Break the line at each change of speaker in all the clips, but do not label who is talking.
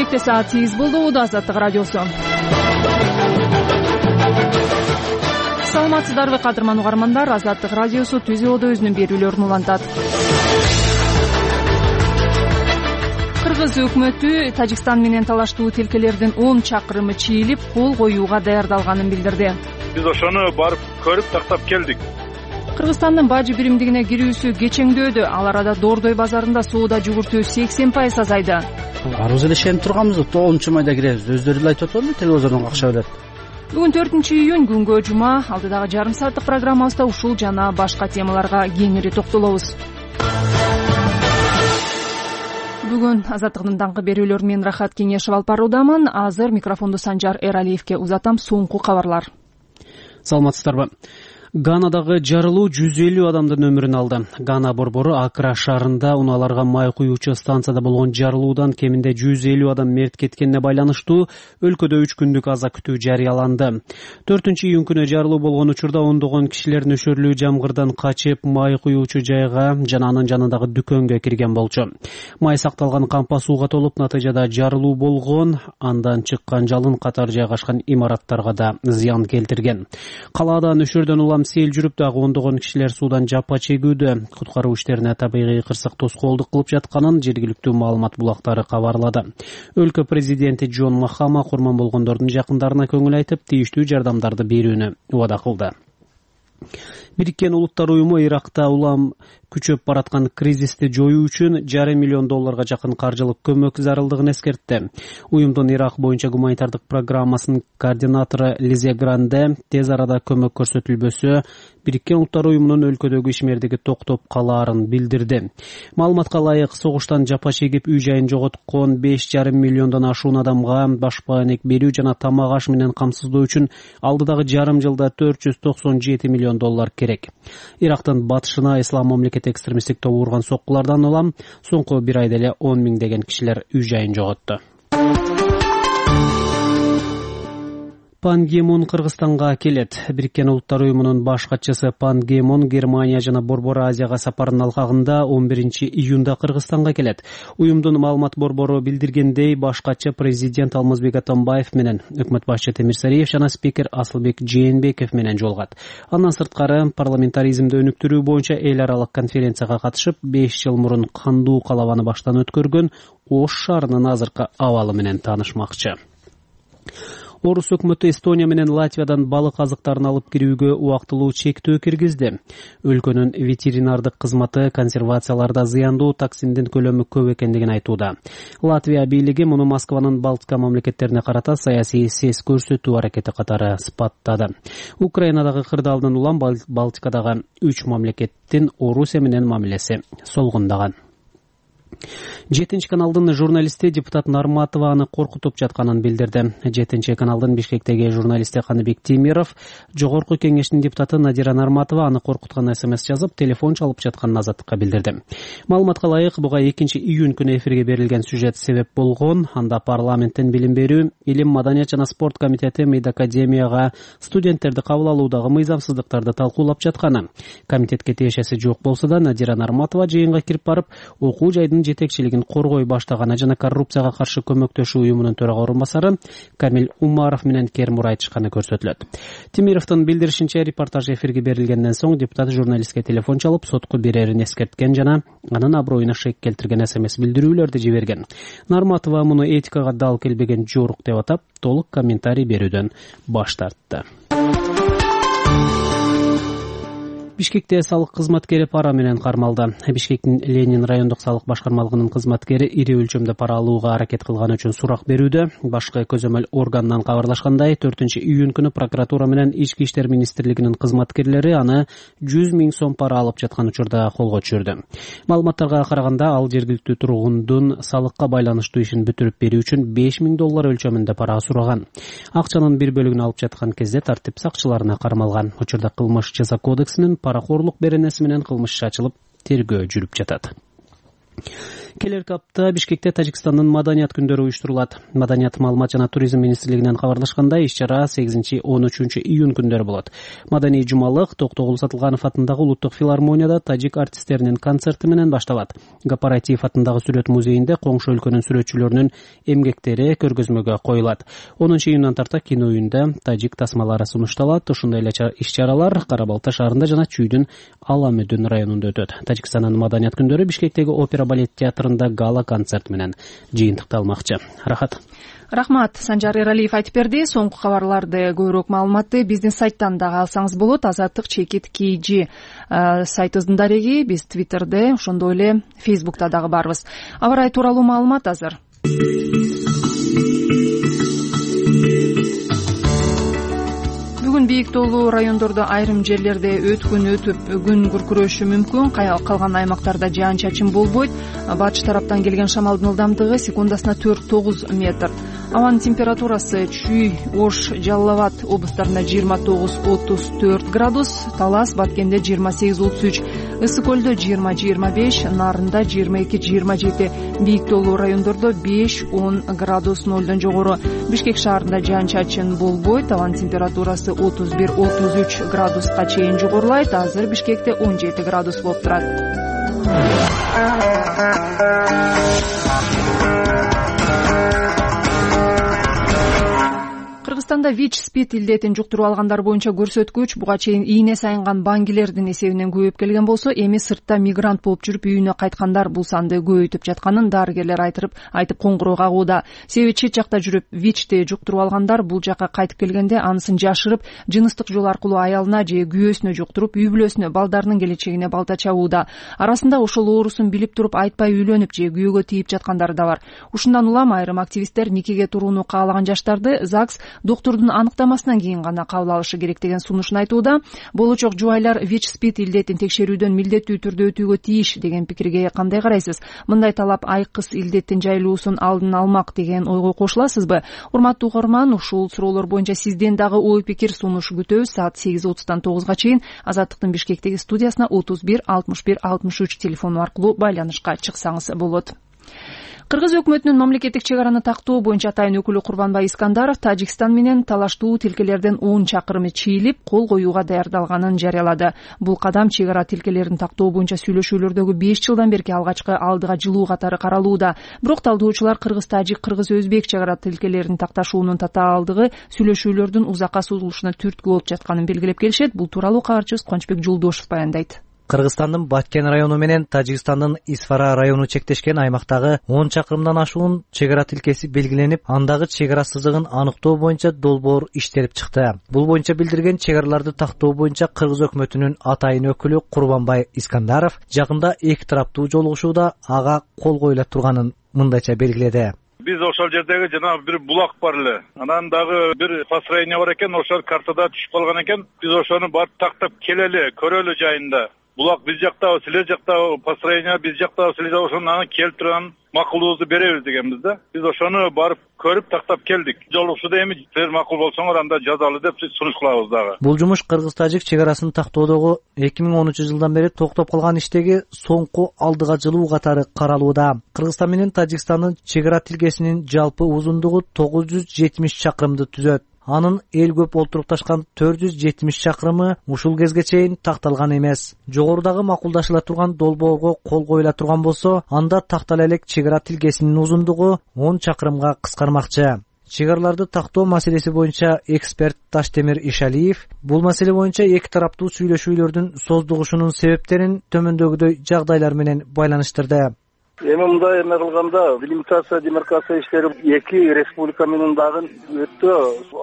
Бишкекте саат 8 болду. Азаттык радиосу. Саламатсыздарбы кадырман угармандар. Азаттык радиосу Түз Элдо өзүнүн берүүлөрүн улантат. Кыргыз өкмөтү Тажикстан менен талаштуу тилкелердин 10 чакырымы чийилип, кол коюуга даярдалганын билдирди.
Биз ошону барып көрүп тактап келдик.
Кыргызстандын бажы биримдигине кирүүсү кечеңдөөдө. Ал арада Дордой базарында соода жүгүртүү 80% азайды.
Арыбыз эле ишенип турганбыз, 9-майда киребиз. Өздөрү эле айтып атпадыбы, телевизордон акча берет.
Бүгүн 4-июнь күнгө жума. Алдыдагы жарым сааттык программабызда ушул жана башка темаларга кеңири токтолобуз. Бүгүн Азаттыктын даңкы берүүлөрү менен Рахат Кеңешев алып баруудамын. Азыр микрофонду Санжар Эралиевке узатам. Соңку кабарлар.
Саламатсыздарбы. Ганадагы жарылуу 150 адамдын өмүрүн алды. Гана борбору Акра шаарында унааларга май куюучу станцияда болгон жарылуудан кеминде 150 адам мерт кеткенине байланыштуу өлкөдө 3 күндүк аза күтүү жарыяланды. 4-июнь күнү жарылуу болгон учурда ондогон кишилер нөшөрлүү жамгырдан качып май куюучу жайга жана анын жанындагы дүкөнгө кирген болчу. Май сакталган кампа сууга толуп, натыйжада жарылуу болгон, андан чыккан жалын катар жайгашкан имараттарга да зыян келтирген. Калаада нөшөрдөн улам сел жүрүп, дагы ондогон кишилер суудан жапа чегүүдө. Куткаруу иштерине табигый кырсык тоскоолдук кылып жатканын жергиликтүү маалымат булактары кабарлады. Өлкө президенти Джон Махама курман болгондордун жакындарына көңүл айтып, тийиштүү жардамдарды берүүнү убада кылды. Бириккен Улуттар уюму Иракта улам күчөп бараткан кризисти жоюу үчүн $500 миллион жакын каржылык көмөк зарылдыгын эскертти. Уюмдун Ирак боюнча гуманитардык программасынын координатору Лизе Гранде тез арада көмөк көрсөтүлбөсө, Бириккен Улуттар уюмунун өлкөдөгү ишмердиги токтоп калаарын билдирди. Маалыматка ылайык, согуштан жапа чегип үй жайын жоготкон $5,5 миллиондон ашуун адамга башпаанек берүү жана тамак аш менен камсыздоо үчүн алдыдагы жарым жылда $497 миллион керек. Ирактын батышына ислам мамлекети экстремисттик тобу урган соккулардан улам соңку бир айда эле 10 миңдеген кишилер үй жайын жоготту. Пан Ги Мун Кыргызстанга келет. Бириккен Улуттар уюмунун баш катчысы Пан Ги Мун Германия жана Борбор Азияга сапарынын алкагында 11-июнда Кыргызстанга келет. Уюмдун маалымат борбору билдиргендей, баш катчы президент Алмазбек Атамбаев менен, өкмөт башчы Темирсариев жана спикер Асылбек Жээнбеков менен жолугат. Андан сырткары парламентаризмди өнүктүрүү боюнча эл аралык конференцияга катышып, 5 жыл мурун кандуу калабаны баштан өткөргөн Ош шаарынын азыркы абалы менен таанышмакчы. Орус өкмөтү Эстония менен Латвиядан балык азыктарын алып кирүүгө убактылуу чектөө киргизди. Өлкөнүн ветеринардык кызматы консервацияларда зыяндуу токсиндин көлөмү көп экендигин айтууда. Латвия бийлиги муну Москванын Балтика мамлекеттерине карата саясий сес көрсөтүү аракети катары сыпаттады. Украинадагы кырдаалдан улам Балтикадагы 3 мамлекеттин Орусия менен мамилеси солгундаган. 7 каналдын журналисти депутат Нарматова аны коркутуп жатканын билдирди. 7 каналдын Бишкектеги журналисти Каныбек Тимиров жогорку кеңештин депутаты Надира Нарматова аны коркуткан СМС жазып, телефон чалып жатканын Азаттыкка билдирди. Маалыматка ылайык, буга 2-июнь күнү эфирге берилген сюжет себеп болгон. Анда парламенттин билим берүү, илим, маданият жана спорт комитети МИД академияга студенттерди кабыл алуудагы мыйзамсыздыктарды талкуулап жатканы. Комитетке тиешеси жок болсо да, Надира Нарматова жыйынга кирип барып, окуу жайдын жетекчилигин коргой баштаганы жана коррупцияга каршы көмөктөшүү уюмунун төрага орун басары Камил Умаров менен кермур айтышканы көрсөтүлөт. Тимировдун билдиришинче, репортаж эфирге берилгенден соң депутат журналистке телефон чалып, сотко берерин эскерткен жана анын аброюна шек келтирген СМС билдирүүлөрдү жиберген. Нарматова муну этикага дал келбеген жорук деп атап, толук комментарий берүүдөн баш тартты. Бишкекте салык кызматкери пара менен кармалды. Бишкектин Ленин райондук салык башкармалыгынын кызматкери ири өлчөмдө пара алууга аракет кылганы үчүн сурак берүүдө. Башкы көзөмөл органынан кабарлашкандай, 4-июнь күнү прокуратура менен Ички иштер министрлигинин кызматкерлери аны 100 000 сом пара алып жаткан учурда колго түшүрдү. Маалыматтарга караганда, ал жергиликтүү тургундун салыкка байланыштуу ишин бүтүрүп берүү үчүн $5,000 өлчөмүндө пара сураган. Акчанын бир бөлүгүн алып жаткан кезде тартип сакчыларына кармалган. Учурда кылмыш жаза кодексинин паракорлук беренеси менен кылмыш ачылып, тергөө жүрүп жатат. Келерки апта Бишкекте Тажикстандын маданият күндөрү уюштурулат. Маданият, маалымат жана туризм министрлигинен кабарлашкандай, иш-чара 8-13 июнь күндөрү болот. Маданий жумалык Токтогул Сатылганов атындагы Улуттук филармонияда тажик артисттеринин концерти менен башталат. Гапаратиев атындагы сүрөт музейинде коңшу өлкөнүн сүрөтчүлөрүнүн эмгектери көргөзмөгө коюлат. 10 июндан тарта кино үйүндө тажик тасмалары сунушталат. Ушундай эле иш-чаралар Кара Балта шаарында жана Чүйдүн Аламөдүн районунда өтөт. Тажикстандын маданият күндөрү Бишкектеги опера балет театрында гала концерт менен жыйынтыкталмакчы. Рахмат.
Санжар Эралиев айтып берди. Соңку кабарларды, көбүрөөк маалыматты биздин сайттан дагы алсаңыз болот. Азаттык_KG сайтыбыздын дареги. Биз Twitterде, ошондой эле Facebook'та дагы барбыз. Аба ырайы тууралуу маалымат азыр. Бүгүн бийик тоолуу райондордо айрым жерлерде өткүн өтүп күн күркүрөшү мүмкүн. Калган аймактарда жаан-чачын болбойт. Батыш тараптан келген шамалдын ылдамдыгы секундасына 4-9 метр. Абанын температурасы Чүй, Ош, Жалал Абад облустарында 29-34 градус, Талас, Баткенде 28-33, Ысык көлдө 20-25, Нарында 22-27, бийик тоолуу райондордо 5-10 градус нолдон жогору. Бишкек шаарында жаан-чачын болбойт. Абанын температурасы 31-33 градуска чейин жогорулайт. Азыр Бишкекте 17 градус болуп турат. Кыргызстанда ВИЧ-СПИД илдетин жуктуруп алгандар боюнча көрсөткүч буга чейин ийне сайынган баңгилердин эсебинен көбөйүп келген болсо, эми сыртта мигрант болуп жүрүп үйүнө кайткандар бул санды көбөйтүп жатканын дарыгерлер айтып коңгуроо кагууда. Себеби чет жакта жүрүп ВИЧти жуктуруп алгандар бул жакка кайтып келгенде анысын жашырып, жыныстык жол аркылуу аялына же күйөөсүнө жуктуруп, үй бүлөсүнө, балдарынын келечегине балта чабууда. Арасында ошол оорусун билип туруп айтпай үйлөнүп же күйөөгө тийип жаткандар да бар. Ушундан улам айрым активисттер никеге турууну каалаган жаштарды ЗАГС доктурдун аныктамасынан кийин гана кабыл алышы керек деген сунушун айтууда. Болочок жубайлар ВИЧ-СПИД илдетин текшерүүдөн милдеттүү түрдө өтүүгө тийиш деген пикирге кандай карайсыз? Мындай талап айкыс илдеттин жайылуусун алдын алмак деген ойго кошуласызбы? Урматтуу угарман, ушул суроолор боюнча сизден дагы ой пикир сунуш күтөбүз. Саат 8:30-дан 9-га чейин Азаттыктын Бишкектеги студиясына 31 61 63 телефону аркылуу байланышка чыксаңыз болот. Кыргыз өкмөтүнүн мамлекеттик чек араны тактоо боюнча атайын өкүлү Курбанбай Искандаров Тажикстан менен талаштуу тилкелерден 10 чакырымы чийилип, кол коюуга даярдалганын жарыялады. Бул кадам чек ара тилкелерин тактоо боюнча сүйлөшүүлөрдөгү 5 жылдан берки алгачкы алдыга жылуу катары каралууда. Бирок талдоочулар кыргыз-тажик, кыргыз-өзбек чек ара тилкелерин такташуунун татаалдыгы сүйлөшүүлөрдүн узакка созулушуна түрткү болуп жатканын белгилеп келишет. Бул тууралуу кабарчыбыз Кубанычбек Жолдошев баяндайт.
Кыргызстандын Баткен району менен Тажикстандын Исфара району чектешкен аймактагы 10 чакырымдан ашуун чек ара тилкеси белгиленип, андагы чек ара сызыгын аныктоо боюнча долбоор иштелип чыкты. Бул боюнча билдирген чек араларды тактоо боюнча Кыргыз өкмөтүнүн атайын өкүлү Курбанбай Искандаров жакында эки тараптуу жолугушууда ага кол коюла турганын мындайча белгиледи.
Биз ошол жердеги жанагы бир булак бар эле. Анан дагы бир построение бар экен, ошол картада түшүп калган экен. Биз ошону барып тактап келели, көрөлү жайында. Булак биз жактабы, силер жактабы, построение биз жактабы, силер ошону келип турган макулубузду беребиз дегенбиз да. Биз ошону барып көрүп тактап келдик. Жолугушууда эми силер макул болсоңор анда жазалы деп сунуш кылабыз дагы.
Бул жумуш кыргыз-тажик чек арасын тактоодогу 2013 жылдан бери токтоп калган иштеги соңку алдыга жылуу катары каралууда. Кыргызстан менен Тажикстандын чек ара тилкесинин жалпы узундугу 970 чакырымды түзөт. Анын эл көп олтурукташкан 470 чакырымы ушул кезге чейин такталган эмес. Жогорудагы макулдашыла турган долбоорго кол коюла турган болсо, анда тактала элек чек ара тилкесинин узундугу 10 чакырымга кыскармакчы. Чек араларды тактоо маселеси боюнча эксперт Таштемир Ишалиев бул маселе боюнча эки тараптуу сүйлөшүүлөрдүн создугушунун себептерин төмөндөгүдөй жагдайлар менен байланыштырды.
Эми мындай эме кылганда делимитация, демаркация иштери эки республика менен дагы өтө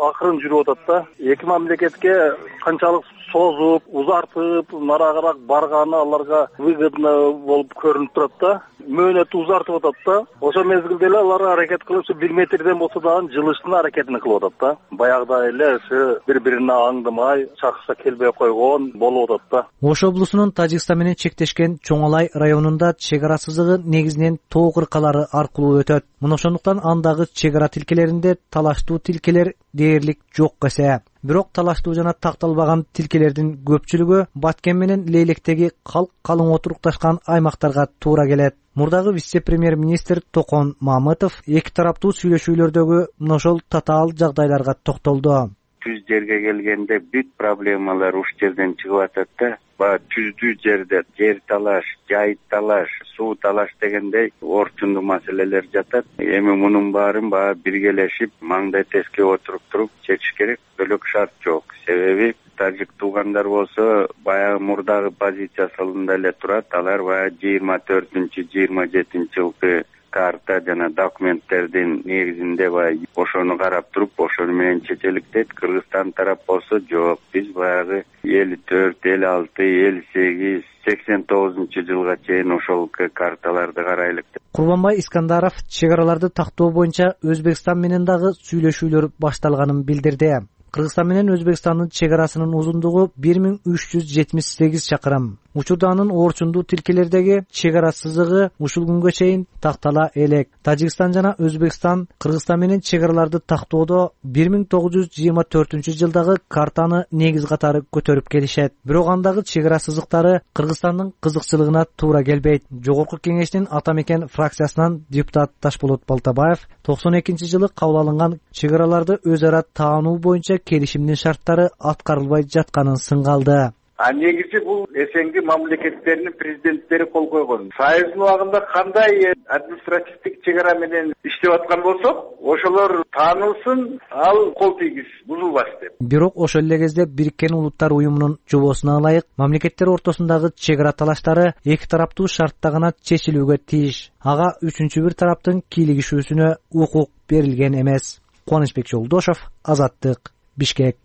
акырын жүрүп атат да. Эки мамлекетке канчалык созуп, узартып, нарагыраак барганы аларга выгодно болуп көрүнүп турат да. Мөөнөтү узартып атат да. Ошол мезгилде эле алар аракет кылып, 1 метрден болсо дагы жылыштын аракетин кылып атат да. Баягыдай эле бири-бирине аңдымай, чакырса келбей койгон болуп атат да.
Ош облусунун Тажикстан менен чектешкен Чоңалай районунда чек ара сызыгы негизинен тоо кыркалары аркылуу өтөт. Мына ошондуктан андагы чек ара тилкелеринде талаштуу тилкелер дээрлик жок эсе. Бирок талаштуу жана такталбаган тилкелердин көпчүлүгү Баткен менен Лейлектеги калың отурукташкан аймактарга туура келет. Мурдагы вице-премьер-министр Токон Мамытов эки тараптуу сүйлөшүүлөрдөгү ошол татаал жагдайларга токтолду.
Түз жерге келгенде бүт проблемалар уш жерден чыгып атат да. Баягы түздүү жерде жер талаш, жай талаш, суу талаш дегендей орчундуу маселелер жатат. Эми мунун баарын баягы биргелешип, маңдай теске отуруп туруп чечиш керек. Бөлөк шарт жок. Себеби тажик туугандар болсо баягы мурдагы позициясында эле турат. Алар баягы 24-27 жылкы карта жана документтердин негизинде баягы ошону карап туруп, ошону менен чечелик дейт. Кыргызстан тарап болсо жок, биз баягы 54, 56, 58, 89 жылга чейин ошол карталарды карайлык.
Курманбай Искандаров чек араларды тактоо боюнча Өзбекстан менен дагы сүйлөшүүлөр башталганын билдирди. Кыргызстан менен Өзбекстандын чек арасынын узундугу 1378 чакырым. Учурда анын орчундуу тилкелердеги чек ара сызыгы ушул күнгө чейин тактала элек. Тажикстан жана Өзбекстан Кыргызстан менен чек араларды тактоодо 1924-жылдагы картаны негиз катары көтөрүп келишет. Бирок андагы чек ара сызыктары Кыргызстандын кызыкчылыгына туура келбейт. Жогорку кеңештин ата мекен фракциясынан депутат Ташболот Балтабаев 92-жылы кабыл алынган чек араларды өз ара таануу боюнча келишимдин шарттары аткарылбай жатканын сынгалды.
Негизи бул СНГ мамлекеттеринин президенттери кол койгон. Союздун убагында кандай административдик чек ара менен иштеп аткан болсок, ошолор таанылсын, ал кол тийгиз, бузулбаш деп.
Бирок ошол эле кезде Бириккен Улуттар уюмунун жобосуна ылайык мамлекеттер ортосундагы чек ара талаштары эки тараптуу шартта гана чечилүүгө тийиш. Ага үчүнчү бир тараптын кийлигишүүсүнө укук берилген эмес. Кубанычбек Жолдошов, Азаттык, Бишкек.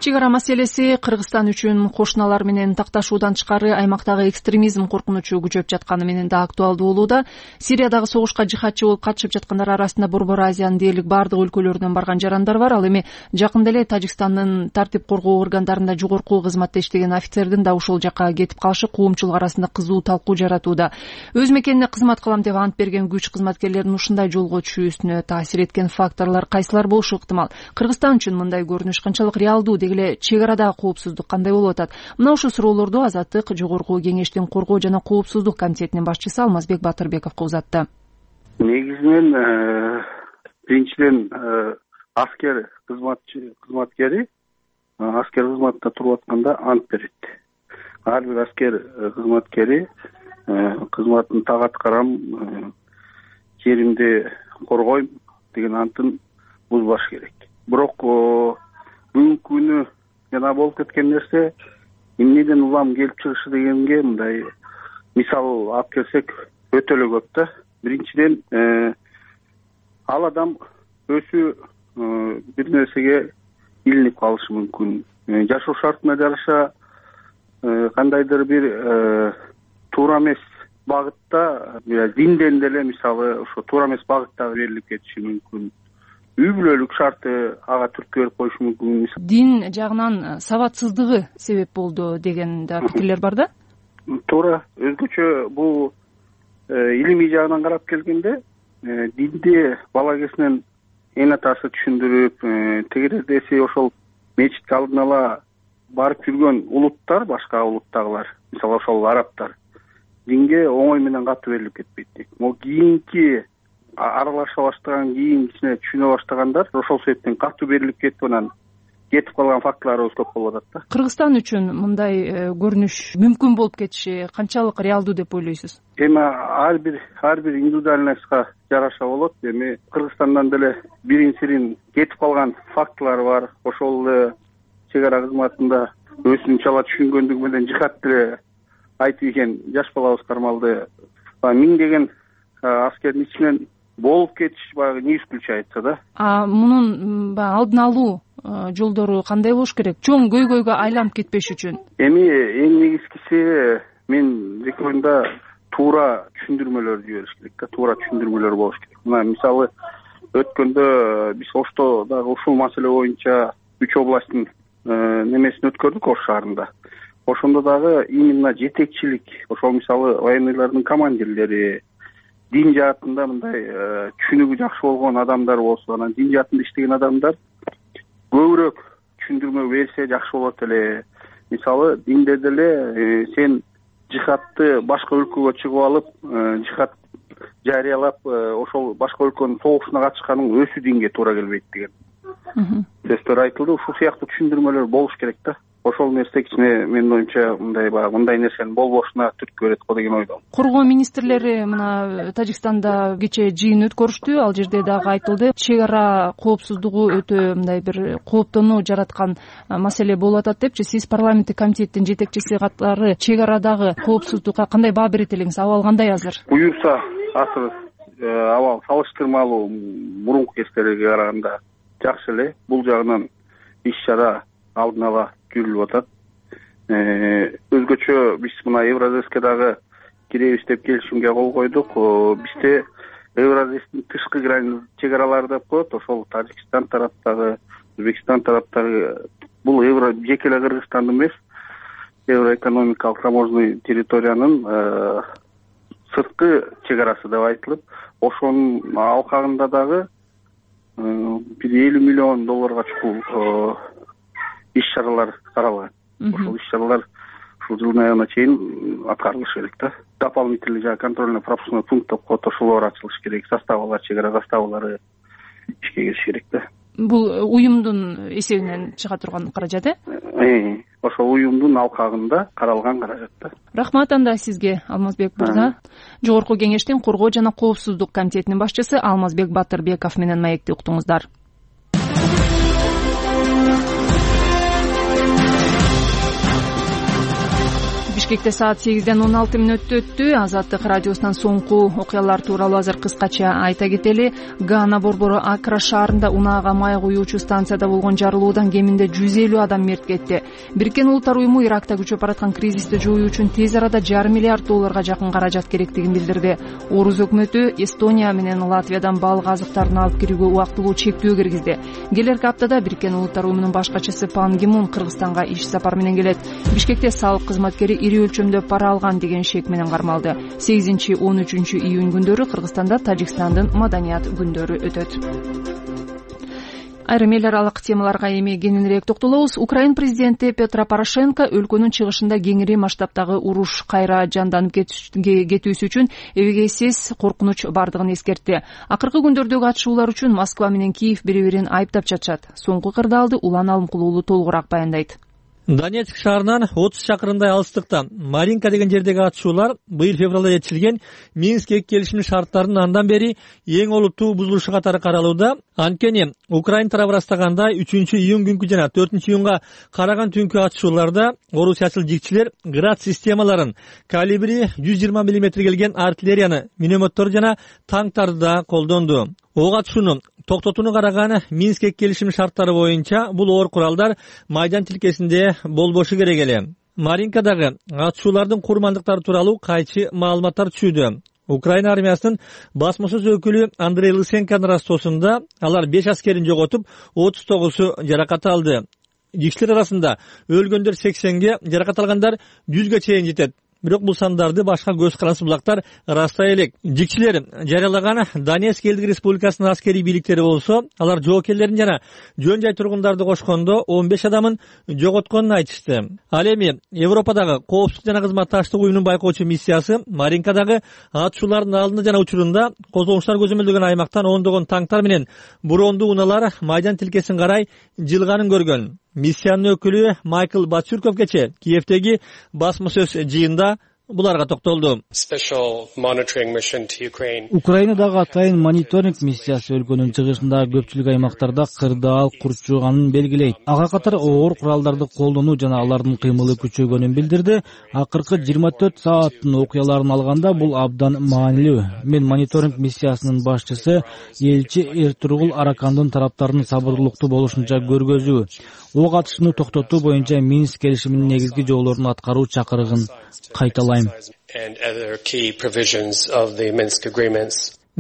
Чек ара маселеси Кыргызстан үчүн кошуналар менен такташуудан тышкары аймактагы экстремизм коркунучу күчөп жатканы менен да актуалдуу болууда. Сириядагы согушка жихадчы болуп катышып жаткандар арасында Борбор Азиянын дээрлик бардык өлкөлөрүнөн барган жарандар бар. Ал эми жакында эле Тажикстандын тартип коргоо органдарында жогорку кызматта иштеген офицердин да ушул жака кетип калышы коомчулук арасында кызуу талкуу жаратууда. Өз мекенине кызмат кылам деп ант берген күч кызматкерлеринин ушундай жолго түшүүсүнө таасир эткен факторлор кайсылар болушу ыктымал? Кыргызстан үчүн мындай көрүнүш канчалык реалдуу? Эле чек арадагы коопсуздук кандай болуп атат? Мына ушул суроолорду Азаттык жогорку кеңештин коргоо жана коопсуздук комитетинин башчысы Алмазбек Батырбековго узатты.
Негизинен биринчиден аскер кызматкери аскер кызматта туруп атканда ант берет. Ар бир аскер кызматкери кызматын так аткарам, жеримди коргойм деген антын бузбаш керек. Бирок бүгүнкү күнү жана болуп кеткен нерсе эмнеден улам келип чыгышы дегенге мындай мисал алып келсек өтө эле көп да. Биринчиден ал адам өзү бир нерсеге илинип калышы мүмкүн. Жашоо шартына жараша кандайдыр бир туура эмес багытта, динден деле мисалы ошо туура эмес багытта берилип кетиши мүмкүн. Үй бүлөлүк шарты ага түрткү берип коюшу мүмкүн.
Дин жагынан сабатсыздыгы себеп болду деген да пикирлер бар да?
Туура. Өзгөчө бул илимий жагынан карап келгенде динди бала кезинен эң атасы түшүндүрүп, тегердеси ошол мечитке алдын ала барып жүргөн улуттар, башка улуттагылар, мисалы ошол арабтар, динге оңой менен катуу берилип кетпейт. Могу кийинки аралаша баштаган, кийинкисине түшүнө баштагандар ошол себептен катуу берилип кетип анан кетип калган факторлорубуз көп болуп атат да.
Кыргызстан үчүн мындай көрүнүш мүмкүн болуп кетиши канчалык реалдуу деп ойлойсуз?
Эми ар бир индивидуальностька жараша болот. Эми Кыргызстандан деле бирин-сирин кетип калган фактылар бар. Ошол эле чек ара кызматында өзүн чала түшүнгөндүгү менен жихад деле айтып ийген жаш балабыз кармалды. Миңдеген аскердин ичинен болуп кетиш баягы не исключается да.
Мунун алдын алуу жолдору кандай болуш керек? Чоң көйгөйгө айланып кетпеш үчүн.
Эми эң негизгиси мен рекомендда туура түшүндүрмөлөр жибериш керек да, туура түшүндүрмөлөр болуш керек. Мына мисалы өткөндө биз Ошто дагы ушул маселе боюнча 3 областтын немесин өткөрдүк Ош шаарында. Ошондо дагы именно жетекчилик, ошол мисалы военныйлардын командирлери, дин жаатында мындай түшүнүгү жакшы болгон адамдар болсо, анан дин жаатында иштеген адамдар көбүрөөк түшүндүрмө берсе жакшы болот эле. мисалы динде деле сен жихадты башка өлкөгө чыгып алып жихад жарыялап ошол башка өлкөнүн согушуна катышканың өзү динге туура келбейт деген сөздөр айтылды. Ушул сыяктуу түшүндүрмөлөр болуш керек да. Ошол нерсе кичине менин оюмча мындай нерсенин болбошуна түрткү берет го деген ойдомун.
Коргоо министрлери мына Тажикстанда кечээ жыйын өткөрүштү. Ал жерде дагы айтылды, чек ара коопсуздугу өтө мындай бир кооптонуу жараткан маселе болуп атат депчи. Сиз парламенттик комитеттин жетекчиси катары чек арадагы коопсуздукка кандай баа берет элеңиз? Абал кандай азыр?
Буюрса азыр абал салыштырмалуу мурунку кездерге караганда жакшы эле. Бул жагынан иш чара алдын ала жүрүлүп атат. Өзгөчө биз мына Евразэске дагы киребиз деп келишимге кол койдук. Бизде Евразэстин тышкы чек аралары деп коет. Ошол Тажикстан тараптагы, Өзбекстан тараптагы бул жеке эле Кыргызстандын эмес, евроэкономикалык таможенный территориянын сырткы чек арасы деп айтылып, ошонун алкагында дагы бир $50 миллион чукул иш чаралар каралган. Ошол иш чаралар ушул жылдын аягына чейин аткарылыш керек да. Дополнительный контрольно-пропускной пункт деп коет, ошолор ачылыш керек, заставалар, чек ара заставалары ишке кириш керек да.
Бул уюмдун эсебинен чыга турган каражат
Ошол уюмдун алкагында каралган каражат да.
Рахмат анда сизге, Алмазбек мырза. Жогорку кеңештин коргоо жана коопсуздук комитетинин башчысы Алмазбек Батырбеков менен маекти уктуңуздар. Бишкекте саат 8:16 өттү. Азаттык радиосунан соңку окуялар тууралуу азыр кыскача айта кетели. Гана борбору Акра шаарында унаага май куюучу станцияда болгон жарылуудан кеминде 150 адам мерт кетти. Бириккен Улуттар уюму Иракта күчөп бараткан кризисти жоюу үчүн тез арада $500 миллиард жакын каражат керектигин билдирди. Орус өкмөтү Эстония менен Латвиядан баалык азыктарын алып кирүүгө убактылуу чектөө киргизди. Келерки аптада Бириккен Улуттар уюмунун баш катчысы Пан Ги Мун Кыргызстанга иш сапар менен келет. Бишкекте салык кызматкери ири өлчөмдө пара алган деген шек менен кармалды. 8-13 июнь күндөрү Кыргызстанда Тажикстандын маданият күндөрү өтөт. Айрым эл аралык темаларга эми кененирээк токтолобуз. Украин президенти Петро Порошенко өлкөнүн чыгышында кеңири масштабтагы уруш кайра жанданып кетүүсү үчүн эбегейсиз коркунуч бардыгын эскертти. Акыркы күндөрдөгү атышуулар үчүн Москва менен Киев бири-бирин айыптап жатышат. Соңку кырдаалды Улан Алымкулуулу толугураак баяндайт.
Донецк шаарынан 30 чакырымдай алыстыкта Маринка деген жердеги атышуулар быйыл февралда жетишилген Минск келишиминин шарттарынын андан бери эң олуттуу бузулушу катары каралууда. Анткени Украин тарабы ырастагандай 3-июнь күнкү жана 4-июнга караган түнкү атышууларда орусиячыл жигчилер град системаларын, калибри 120 мм келген артиллерияны, минометтор жана танктарды да колдонду. Ок атышууну токтотууну караган Минск келишиминин шарттары боюнча бул оор куралдар майдан тилкесинде болбошу керек эле. Маринкадагы атышуулардын курмандыктары тууралуу кайчы маалыматтар түшүүдө. Украина армиясынын басмасөз өкүлү Андрей Лысенконун растоосунда алар 5 аскерин жоготуп, 39 жаракат алды. Жигчилер арасында өлгөндөр 80ге, жаракат алгандар 100ге чейин жетет. Бирок бул сандарды башка көз карансыз булактар ырастай элек. Жигчилер жарыялаган Донецк элдик республикасынын аскерий бийликтери болсо, алар жоокерлерин жана жөн жай тургундарды кошкондо 15 адамын жоготконун айтышты. Ал эми Европадагы коопсуздук жана кызматташтык уюмунун байкоочу миссиясы Маринкадагы атышуулардын алдында жана учурунда козголуштар көзөмөлдөгөн аймактан ондогон танктар менен брондуу унаалар майдан тилкесин карай жылганын көргөн. Миссиянын өкүлү Майкл Бачурков кече Киевдеги басмасөз жыйында буларга токтолду.
Украинадагы атайын мониторинг миссиясы өлкөнүн чыгышындагы көпчүлүк аймактарда кырдаал курчуганын белгилейт. Ага катар оор куралдарды колдонуу жана алардын кыймылы күчөгөнүн билдирди. Акыркы 24 сааттын окуяларын алганда бул абдан маанилүү. Мен мониторинг миссиясынын башчысы элчи Эртургул Аракандын тараптарынын сабырдуулуктуу болушунча көргөзүү, ок атышууну токтотуу боюнча Минск келишиминин негизги жоолорун аткаруу чакырыгын кайталайм.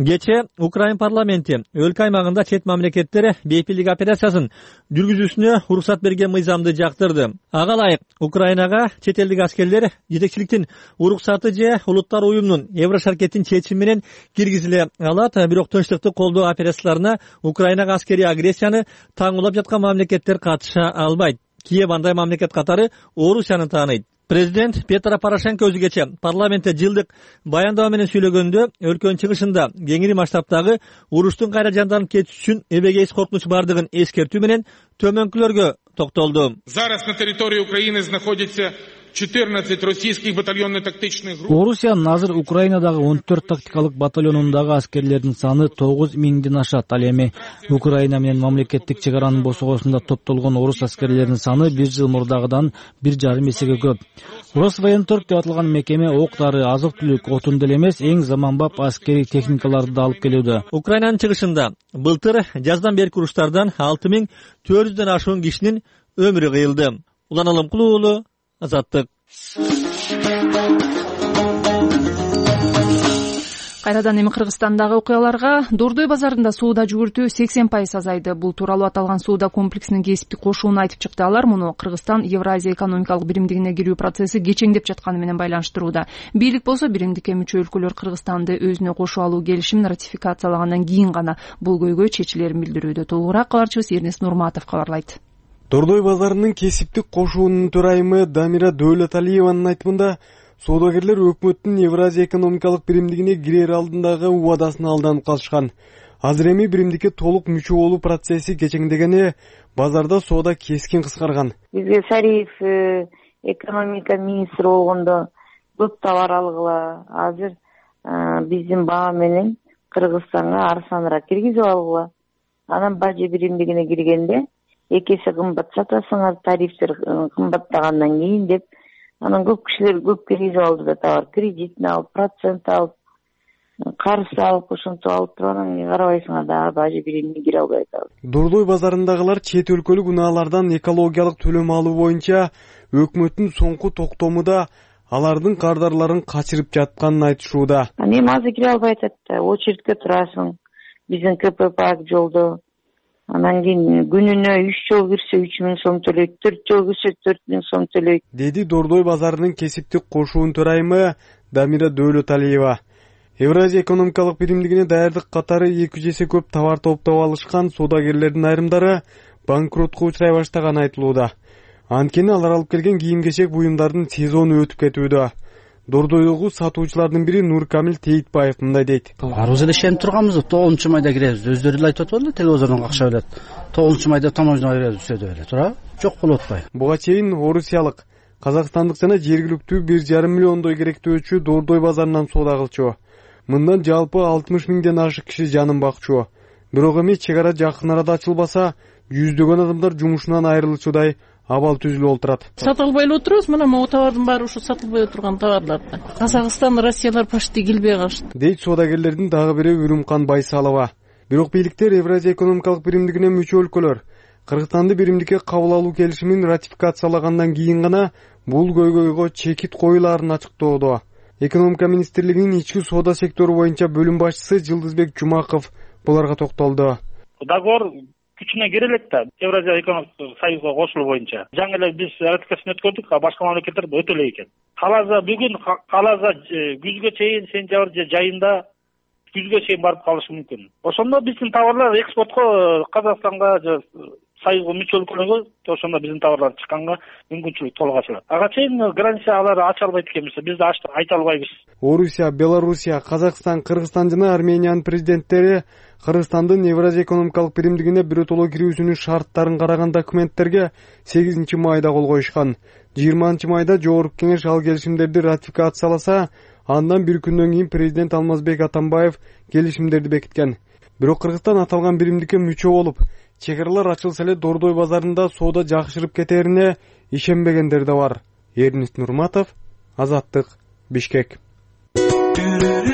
Кече Украин парламенти өлкө аймагында чет мамлекеттер бейпилдик операциясын жүргүзүүсүнө уруксат берген мыйзамды жактырды. Ага ылайык Украинага чет элдик аскерлер жетекчиликтин уруксаты же Улуттар уюмунун Еврошаркеттин чечими менен киргизиле алат. Бирок тынчтыкты колдоо операцияларына Украинага аскерий агрессияны таңуулап жаткан мамлекеттер катыша албайт. Киев андай мамлекет катары Орусияны тааныйт. Президент Петро Порошенко өзгече парламентте жылдык баяндама менен сүйлөгөндө өлкөнүн чыгышында кеңири масштабтагы уруштун кайра жанданып кетиши үчүн эбегейсиз коркунуч бардыгын эскертүү менен төмөнкүлөргө токтолду.
Зараз на территории Украины находится 14 российских батальонно-тактичных групп.
Орусиянын азыр Украинадагы 14 тактикалык батальонундагы аскерлердин саны 9000ден ашат. Ал эми Украина менен мамлекеттик чек аранын босогосунда топтолгон орус аскерлеринин саны 1 жыл мурдагыдан 1,5 эсеге көп. Росвоенторг деп аталган мекеме ок-дары, азык-түлүк, отун деле эмес, эң заманбап аскерий техникаларды да алып келүүдө.
Украинанын чыгышында былтыр жаздан берки уруштардан 6400дөн ашуун кишинин өмүрү кыйылды. Улан Алымкулуу уулу, Азаттык.
Кайрадан эми Кыргызстандагы окуяларга. Дордой базарында соода жүгүртүү 80% азайды. Бул тууралуу аталган соода комплексинин кесиптик кошууну айтып чыкты. Алар муну Кыргызстан Евразия экономикалык биримдигине кирүү процесси кечеңдеп жатканы менен байланыштырууда. Бийлик болсо биримдикке мүчө өлкөлөр Кыргызстанды өзүнө кошуп алуу келишимин ратификациялагандан кийин гана бул көйгөй чечилерин билдирүүдө. Толугураак кабарчыбыз Эрнест Нурматов кабарлайт.
Дордой базарынын кесиптик кошуунун төрайымы Дамира Дөөлөталиеванын айтымында, соодагерлер өкмөттүн Евразия экономикалык биримдигине кирер алдындагы убадасына алданып калышкан. Азыр эми биримдикке толук мүчө болуу процесси кечеңдегени, базарда соода кескин кыскарган.
Бизге Сариев экономика министри болгондо көп товар алгыла. Азыр биздин баа менен Кыргызстанга арзаныраак киргизип алгыла. Анан бажы биримдигине киргенде эки эсе кымбат сатасыңар, тарифтер кымбаттагандан кийин деп, анан көп кишилер көп киргизип алды да товар, кредитин алып, процент алып, карыз алып, ошентип алып туруп анан карабайсыңар да бажы биримине кире албай атабыз.
Дордой базарындагылар чет өлкөлүк унаалардан экологиялык төлөм алуу боюнча өкмөттүн соңку токтому да алардын кардарларын качырып жатканын айтышууда.
Эми азыр кире албай атат да, очередке турасың, биздин КПП жолдо. Анан кийин күнүнө 3 жол кирсе 3000 сом төлөйт, 4 жол кирсе 4000 сом төлөйт.
Деди Дордой базарынын кесиптик кошуун төрайымы Дамира Дөөлөталиева. Евразия экономикалык биримдигине даярдык катары 2 эсе көп товар топтоп алышкан соодагерлердин айрымдары банкротко учурай баштаганы айтылууда. Анткени алар алып келген кийим-кечек буюмдардын сезону өтүп кетүүдө. Дордойдогу сатуучулардын бири Нуркамил Тейтбаев мындай дейт.
Арбыз эле ишенип турганбыз, 9 майда киребиз. Өздөрү эле айтып атпадыбы, телевизордон какша билет. 9 майда таможняга киребиз деп эле, туура? Жок болуп атпайбы?
Буга чейин орусиялык, казакстандык жана жергиликтүү 1,5 миллиондой керектөөчү Дордой базарынан соода кылчу. Мындан жалпы 60 миңден ашык киши жанын бакчу. Бирок эми чек ара жакын арада ачылбаса, жүздөгөн адамдар жумушунан айрылчудай абал түзүлүп отурат.
Сатылбай эле отурабыз, мына могу товардын баары ушу сатылбай отурган товарлар. Казакстан, Россиялар почти келбей калышты.
Дейт соодагерлердин дагы бири Үрүмкан Байсалова. Бирок бийликтер Евразия экономикалык биримдигине мүчө өлкөлөр Кыргызстанды биримдикке кабыл алуу келишимин ратификациялагандан кийин гана бул көйгөйгө чекит коюлаарын ачыктоодо. Экономика министрлигинин ички соода сектору боюнча бөлүм башчысы Жылдызбек Жумаков буларга токтолду.
Договор күчүнө кире элек да, Евразия экономикалык союзга кошулуу боюнча. Жаңы эле биз ратификацияны өткөрдүк, а башка мамлекеттер өтө элек экен. Каласа бүгүн, каласа күзгө чейин, сентябрь айында күзгө чейин барып калышы мүмкүн. Ошондо биздин товарлар экспортко Казакстанга же союзга мүчө өлкөлөргө ошондо биздин товарлар чыкканга мүмкүнчүлүк толук ачылат. Ага чейин граница алар ача албайт экенбиз, биз да айта албайбыз.
Орусия, Белоруссия, Казакстан, Кыргызстан жана Армениянын президенттери Кыргызстандын Евразия экономикалык биримдигине биротоло кирүүсүнүн шарттарын караган документтерге 8 майда кол коюшкан. 20 майда Жогорку Кеңеш ал келишимдерди ратификацияласа, андан бир күндөн кийин президент Алмазбек Атамбаев келишимдерди бекиткен. Бирок Кыргызстан аталган биримдикке мүчө болуп, чек аралар ачылса эле Дордой базарында соода жакшырып кетерине ишенбегендер да бар. Эрнест Нурматов, Азаттык, Бишкек.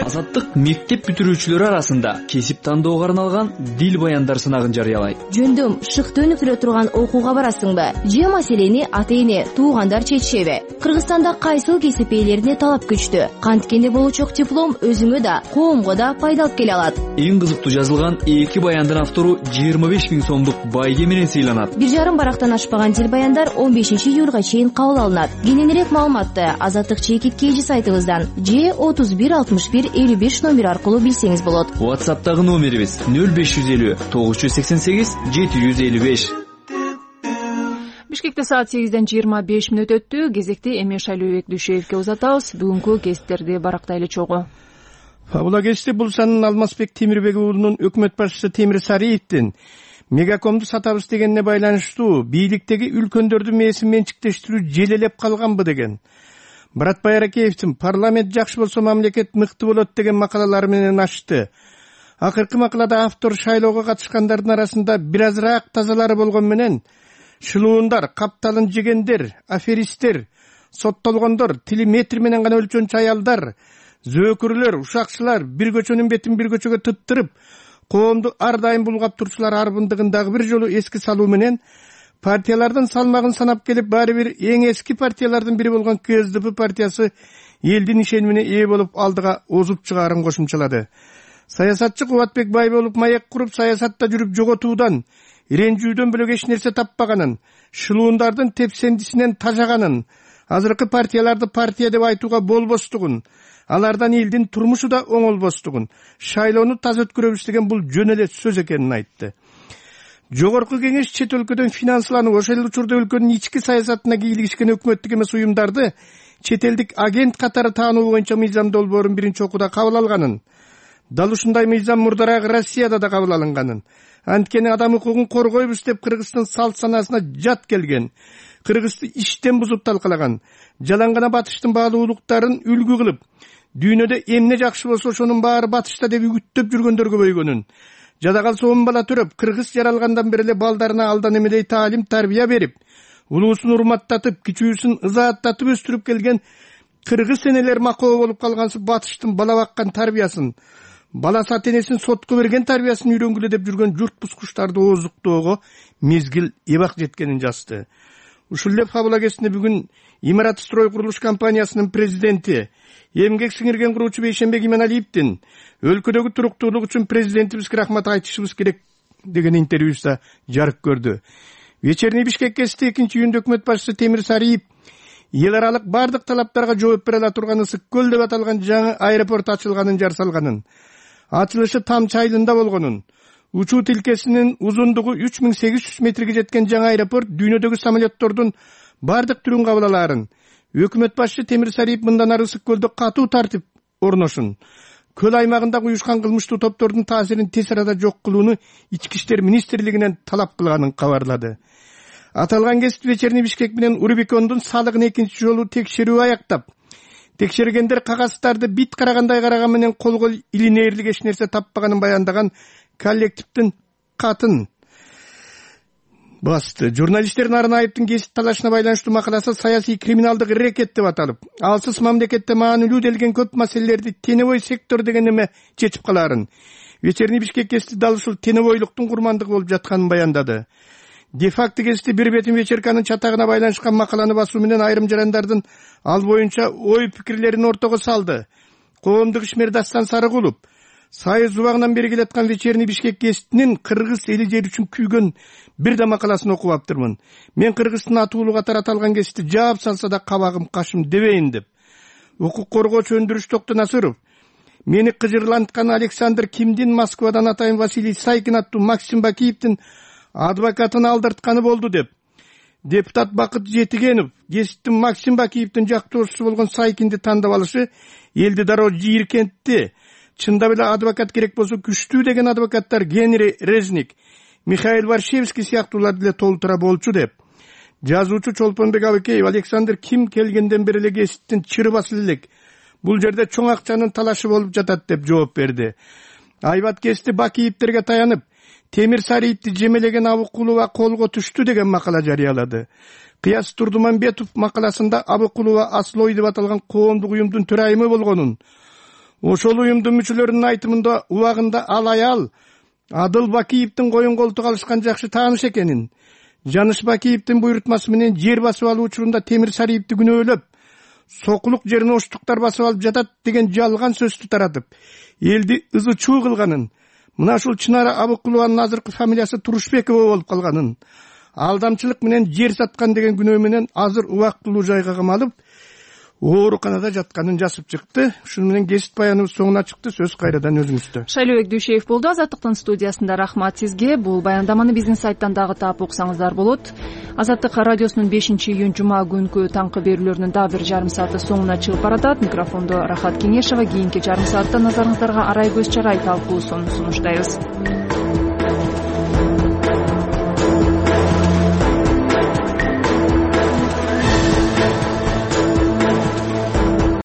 Азаттык мектеп бүтүрүүчүлөрү арасында кесип тандоого арналган дил баяндар сынагын жарыялайт.
Жөндөм шыкты өнүктүрө турган окууга барасыңбы? Же маселени ата-эне, туугандар чечишеби? Кыргызстанда кайсыл кесип ээлерине талап күчтүү? Канткенде болучок диплом өзүңө да, коомго да пайда алып келе алат.
Эң кызыктуу жазылган 2 баяндын автору 25 000 сомдук байге менен сыйланат.
1,5 барактан ашпаган дил баяндар 15 июлга чейин кабыл алынат. Кененирээк маалыматты Азаттык чекит KG сайтыбыздан же 31 61 55 номер аркылуу билсеңиз болот.
WhatsApp'тагы номерибиз 0550 988 755.
Бишкекте саат 8:25 өттү. Кезекти Эмин Шайлообек Дүйшөевке узатабыз. Бүгүнкү кесиптерди барактайлы чогуу.
Фабула кести бул санын Алмазбек Темирбек уулунун өкмөт башчысы Темир Сариевдин мегакомду сатабыз дегенине байланыштуу бийликтеги үлкөндөрдүн мээсин менчиктештирүү желелеп калганбы деген. Баратбай Аракеевдин парламент жакшы болсо мамлекет мыкты болот деген макалалары менен ачты. Акыркы макалада автор шайлоого катышкандардын арасында бир азыраак тазалары болгон менен шылуундар, капталын жегендер, аферисттер, соттолгондор, тили метр менен гана өлчөнчү аялдар, зөөкүрлөр, ушакчылар бир көчөнүн бетин бир көчөгө тыттырып, коомду ар дайым булгап турчулар арбындыгын дагы бир жолу эске салуу менен партиялардын салмагын санап келип, баары бир эң эски партиялардын бири болгон КСДП партиясы элдин ишенимине ээ болуп алдыга озуп чыгаарын кошумчалады. Саясатчы Кубатбек Байболов маек куруп, саясатта жүрүп жоготуудан, ренжүүдөн бөлөк эч нерсе таппаганын, шылуундардын тепсендисинен тажаганын, азыркы партияларды партия деп айтууга болбостугун, алардан элдин турмушу да оңолбостугун, шайлоону таза өткөрөбүз деген бул жөн эле сөз экенин айтты. Жогорку кеңеш чет өлкөдөн финансланып, ошол учурда өлкөнүн ички саясатына кийлигишкен өкмөттүк эмес уюмдарды чет элдик агент катары таануу боюнча мыйзам долбоорун биринчи окууда кабыл алганын, дал ушундай мыйзам мурдараак Россияда да кабыл алынганын, анткени адам укугун коргойбуз деп Кыргыздын салт санаасына жат келген, Кыргызды иштен бузуп талкалаган, жалаң гана батыштын баалуулуктарын үлгү кылып, дүйнөдө эмне жакшы болсо ошонун баары батышта деп үгүттөп жүргөндөргө бойгонун, жада калса 10 бала төрөп, кыргыз жаралгандан бери эле балдарына алдан эмедей таалим тарбия берип, улуусун урматтатып, кичүүсүн ызааттатып өстүрүп келген кыргыз энелер макоо болуп калгансып батыштын бала баккан тарбиясын, бала сатенесин сотко берген тарбиясын үйрөнгүлө деп жүргөн журт бускучтарды ооздуктоого мезгил эбак жеткенин жазды. Ушул эле Фабула кесинде бүгүн Имарат строй курулуш компаниясынын президенти, эмгек сиңирген куруучу Бейшенбек Иманалиевдин өлкөдөгү туруктуулук үчүн президентибизге рахмат айтышыбыз керек деген интервьюсу жарык көрдү. Вечерний Бишкек кести 2-июнда өкмөт башчысы Темир Сариев эл аралык бардык талаптарга жооп бере ала турган Ысык көл деп аталган жаңы аэропорт ачылганын жар салганын, ачылышы Тамчы айылында болгонун, учуу тилкесинин узундугу 3800 метрге жеткен жаңы аэропорт дүйнөдөгү самолеттордун бардык түрүн кабыл алаарын, өкмөт башчы Темир Сариев мындан ары Ысык көлдө катуу тартип орношун, көл аймагында уюшкан кылмыштуу топтордун таасирин тез арада жок кылууну Ички иштер министрлигинен талап кылганын кабарлады. Аталган кесип Вечерний Бишкек менен Урбикондун салыгын экинчи жолу текшерүү аяктап, текшергендер кагаздарды бит карагандай караган менен колго илинээрлик эч нерсе таппаганын баяндаган коллективдин катын басты. Журналисттердин Арын Айыптын кесип талашына байланыштуу макаласы саясий криминалдык рекет деп аталып, алсыз мамлекетте маанилүү делген көп маселелерди тенебой сектор деген эме чечип калаарын, Вечерний Бишкек кести дал ушул тенебойлуктун курмандыгы болуп жатканын баяндады. Де-факто кести бир бетин вечерканын чатагына байланышкан макаланы басуу менен айрым жарандардын ал боюнча ой пикирлерин ортого салды. Коомдук ишмер Дастан Сарыгулов Союз убагынан бери келаткан Вечерний Бишкек кестинин кыргыз эли жери үчүн күйгөн бир да макаласын окуп аптырмын. Мен Кыргыздын атуулуу катары аталган кести жаап салса да кабагым кашым дебейин деп. Укук коргоочу Өндүрүш Токтонасыров мени кыжырланткан Александр Кимдин Москвадан атайын Василий Сайкин аттуу Максим Бакиевдин адвокатын алдыртканы болду деп. Депутат Бакыт Жетигенов кесиптин Максим Бакиевдин жактоочусу болгон Сайкинди тандап алышы элди дароо жийиркентти. Чындап эле адвокат керек болсо күчтүү деген адвокаттар Генри Резник, Михаил Варшевский сыяктууларды деле толтура болчу деп. Жазуучу Чолпонбек Абыкеев Александр Ким келгенден бери эле кесиптин чыры басылы элек. Бул жерде чоң акчанын талашы болуп жатат деп жооп берди. Айбат кести Бакиевтерге таянып, Темир Сариевди жемелеген Абыкулова колго түштү деген макала жарыялады. Кыяс Турдуманбетов макаласында Абыкулова Аслой деп аталган коомдук уюмдун төрайымы болгонун, ошол уюмдун мүчөлөрүнүн айтымында убагында ал аял Адыл Бакиевдин коюн колтук алышкан жакшы тааныш экенин, Жаныш Бакиевдин буйрутмасы менен жер басып алуу учурунда Темир Сариевди күнөөлөп, сокулук жерин оштуктар басып алып жатат деген жалган сөздү таратып, элди ызы чуу кылганын, мына ушул Чынара Абыкулованын азыркы фамилиясы Турушбекова болуп калганын, алдамчылык менен жер саткан деген күнөө менен азыр убактылуу жайга камалып, ооруканада жатканын жазып чыкты. Ушуну менен кесип баяныбыз соңуна чыкты. Сөз кайрадан өзүңүздө.
Шайлообек Дүйшеев болду. Азаттыктын студиясында. Рахмат сизге. Бул баяндаманы биздин сайттан дагы таап уксаңыздар болот. Азаттык радиосунун 5-июнь жума күнкү таңкы берүүлөрүнүн дагы бир жарым сааты соңуна чыгып баратат. Микрофондо Рахат Кеңешова. Кийинки жарым саатта назарыңыздарга Арай Көз Чарай талкуусун сунуштайбыз.